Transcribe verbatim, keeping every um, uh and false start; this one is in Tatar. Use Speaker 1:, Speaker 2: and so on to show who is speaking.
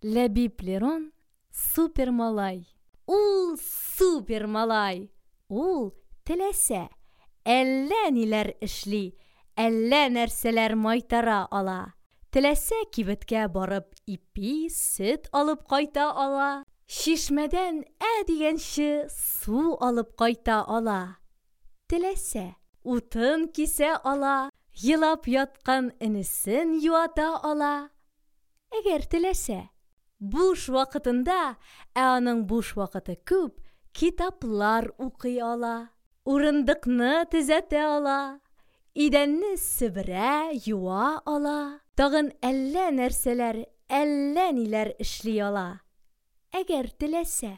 Speaker 1: Ләбиб Лерон — супермалай. Ул супермалай! Ул, теләсә, әллә ниләр эшли, әллә нәрсәләр майтара ала. Теләсә, кибеткә барып ипи, сөт алып кайта ала. Чишмәдән ә дигәнче су алып кайта ала. Теләсә, утын кисә ала, елап яткан энесен юата ала. Әгәр теләсә. Буш вакытында, ә аның буш вакыты күп, китаплар укый ала. Урындыкны төзәтә ала, идәнне себерә, юа ала. Тагын әллә нәрсәләр, әллә ниләр эшли ала. Әгәр теләсә.